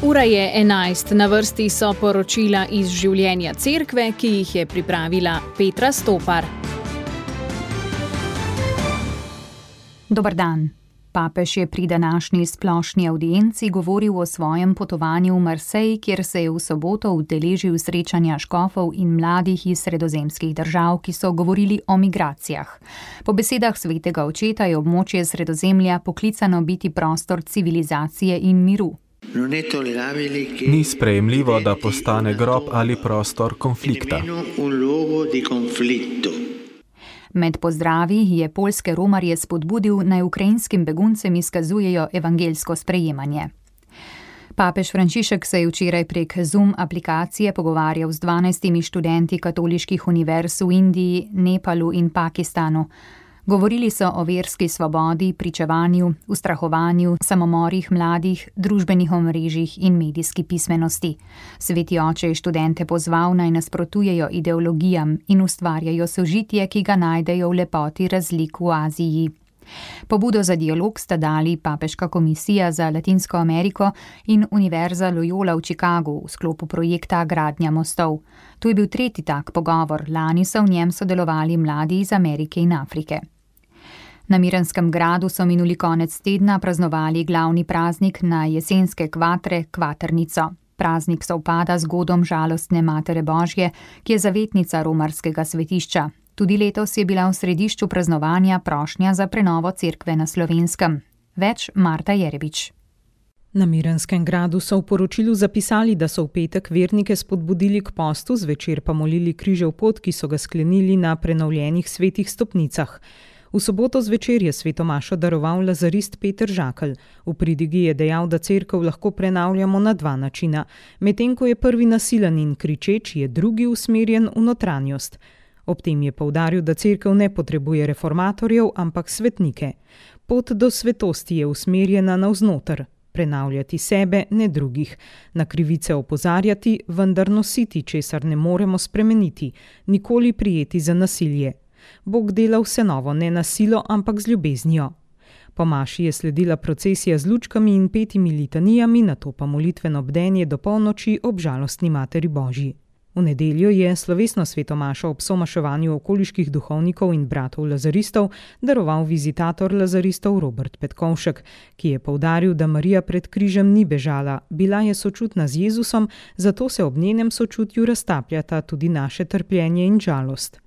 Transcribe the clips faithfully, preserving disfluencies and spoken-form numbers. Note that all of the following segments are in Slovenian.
Ura je enajst, na vrsti so poročila iz življenja cerkve, ki jih je pripravila Petra Stopar. Dober dan. Papež je pri današnji splošni avdienci govoril o svojem potovanju v Marseille, kjer se je v soboto udeležil srečanja škofov in mladih iz sredozemskih držav, ki so govorili o migracijah. Po besedah svetega očeta je območje Sredozemlja poklicano biti prostor civilizacije in miru. Ni sprejemljivo, da postane grob ali prostor konflikta. Med pozdravi je poljske romarje spodbudil, naj ukrajinskim beguncem izkazujejo evangeljsko sprejemanje. Papež Frančišek se je včeraj prek Zoom aplikacije pogovarjal z dvanajstimi študenti katoliških univerz v Indiji, Nepalu in Pakistanu. Govorili so o verski svobodi, pričevanju, ustrahovanju, samomorih mladih, družbenih omrežjih in medijski pismenosti. Sveti oče je študente pozval, naj nasprotujejo ideologijam in ustvarjajo sožitje, ki ga najdejo v lepoti razlik v Aziji. Pobudo za dialog sta dali Papeška komisija za Latinsko Ameriko in Univerza Loyola v Chicagu v sklopu projekta Gradnja mostov. To je bil tretji tak pogovor, lani so v njem sodelovali mladi iz Amerike in Afrike. Na Miranskem gradu so minuli konec tedna praznovali glavni praznik na jesenske kvatre, Kvatrnico. Praznik sovpada z godom žalostne Matere Božje, ki je zavetnica romarskega svetišča. Tudi letos je bila v središču praznovanja prošnja za prenovo cerkve na Slovenskem. Več Marta Jerebič. Na Miranskem gradu so v poročilu zapisali, da so v petek vernike spodbudili k postu, zvečer pa molili križev pot, ki so ga sklenili na prenovljenih svetih stopnicah. V soboto zvečer je sveto mašo daroval lazarist Peter Žakelj. V pridigi je dejal, da cerkev lahko prenavljamo na dva načina. Medtem ko je prvi nasilen in kričeč, je drugi usmerjen v notranjost. Ob tem je poudaril, da cerkev ne potrebuje reformatorjev, ampak svetnike. Pot do svetosti je usmerjena navznoter. Prenavljati sebe, ne drugih. Na krivice opozarjati, vendar nositi, česar ne moremo spremeniti. Nikoli prijeti za nasilje. Bog dela vse novo, ne na silo, ampak z ljubeznijo. Po maši je sledila procesija z lučkami in petimi litanijami, nato pa molitveno bdenje do polnoči ob žalostni Materi Božji. V nedeljo je slovesno sveto mašo ob somaševanju okoliških duhovnikov in bratov lazaristov daroval vizitator lazaristov Robert Petkovšek, ki je poudaril, da Marija pred križem ni bežala, bila je sočutna z Jezusom, zato se ob njenem sočutju raztapljata tudi naše trpljenje in žalost.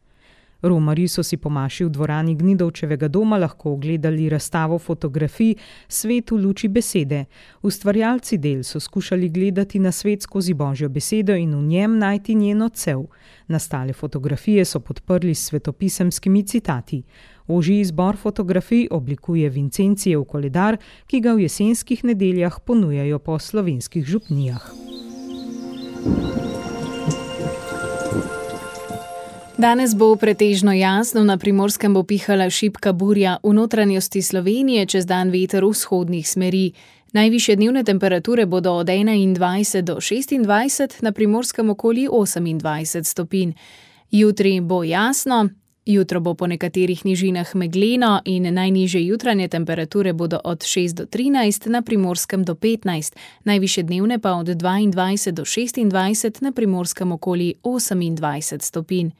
Romarji so si po maši v dvorani Gnidovčevega doma lahko ogledali razstavo fotografij Svet v luči besede. Ustvarjalci del so skušali gledati na svet skozi Božjo besedo in v njem najti njen odsev. Nastale fotografije so podprli s svetopisemskimi citati. Ožji izbor fotografij oblikuje Vincencijev koledar, ki ga v jesenskih nedeljah ponujajo po slovenskih župnijah. Danes bo pretežno jasno, na Primorskem bo pihala šibka burja, v notranjosti Slovenije čez dan veter vzhodnih smeri. Najvišje dnevne temperature bodo od enaindvajset do šestindvajset, na Primorskem okoli osemindvajset stopinj. Jutri bo jasno, jutro bo po nekaterih nižinah megleno in najnižje jutranje temperature bodo od šest do trinajst, na Primorskem do petnajst, najvišje dnevne pa od dvaindvajset do šestindvajset, na Primorskem okoli osemindvajset stopinj.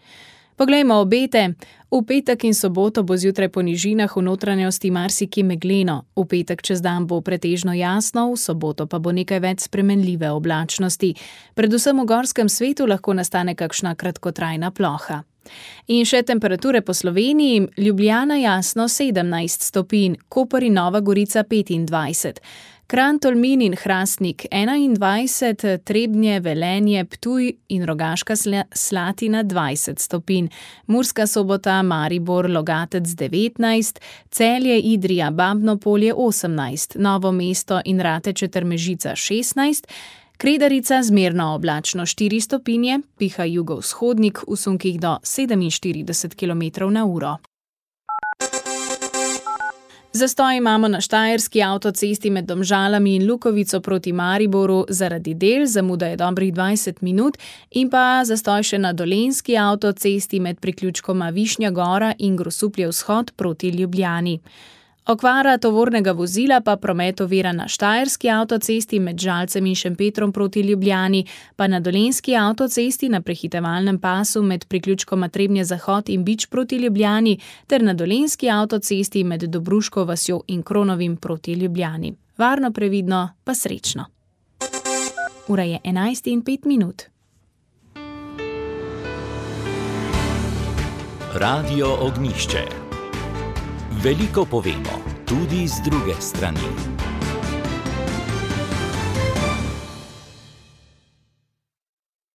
Poglejmo obete. V petek in soboto bo zjutraj po nižinah v notranjosti marsikje megleno. V petek čez dan bo pretežno jasno, v soboto pa bo nekaj več spremenljive oblačnosti. Predvsem v gorskem svetu lahko nastane kakšna kratkotrajna ploha. In še temperature po Sloveniji. Ljubljana jasno sedemnajst stopinj, Koper in Nova Gorica petindvajset. Kranj, Tolmin in Hrastnik enaindvajset, Trebnje, Velenje, Ptuj in Rogaška Slatina dvajset stopinj, Murska Sobota, Maribor, Logatec devetnajst, Celje, Idrija, Babno Polje osemnajst, Novo mesto in Rateče ter Mežica šestnajst, Kredarica zmerno oblačno štiri stopinje, piha jugovzhodnik v sunkih do sedeminštirideset kilometrov na uro. Zastoj imamo na štajerski avtocesti med Domžalami in Lukovico proti Mariboru zaradi del, zamuda je dobrih dvajset minut, in pa zastoj še na dolenjski avtocesti med priključkoma Višnja Gora in Grosuplje vzhod proti Ljubljani. Okvara tovornega vozila pa promet ovira na Štajerski avtocesti med Žalcem in Šempetrom proti Ljubljani, pa na Dolenjski avtocesti na prehitevalnem pasu med priključkoma Trebnje Zahod in Bič proti Ljubljani ter na Dolenjski avtocesti med Dobruško vasjo in Kronovim proti Ljubljani. Varno, previdno, pa srečno. Ura je enajst in pet minut. Radio Ognjišče. Veliko povemo, tudi z druge strani.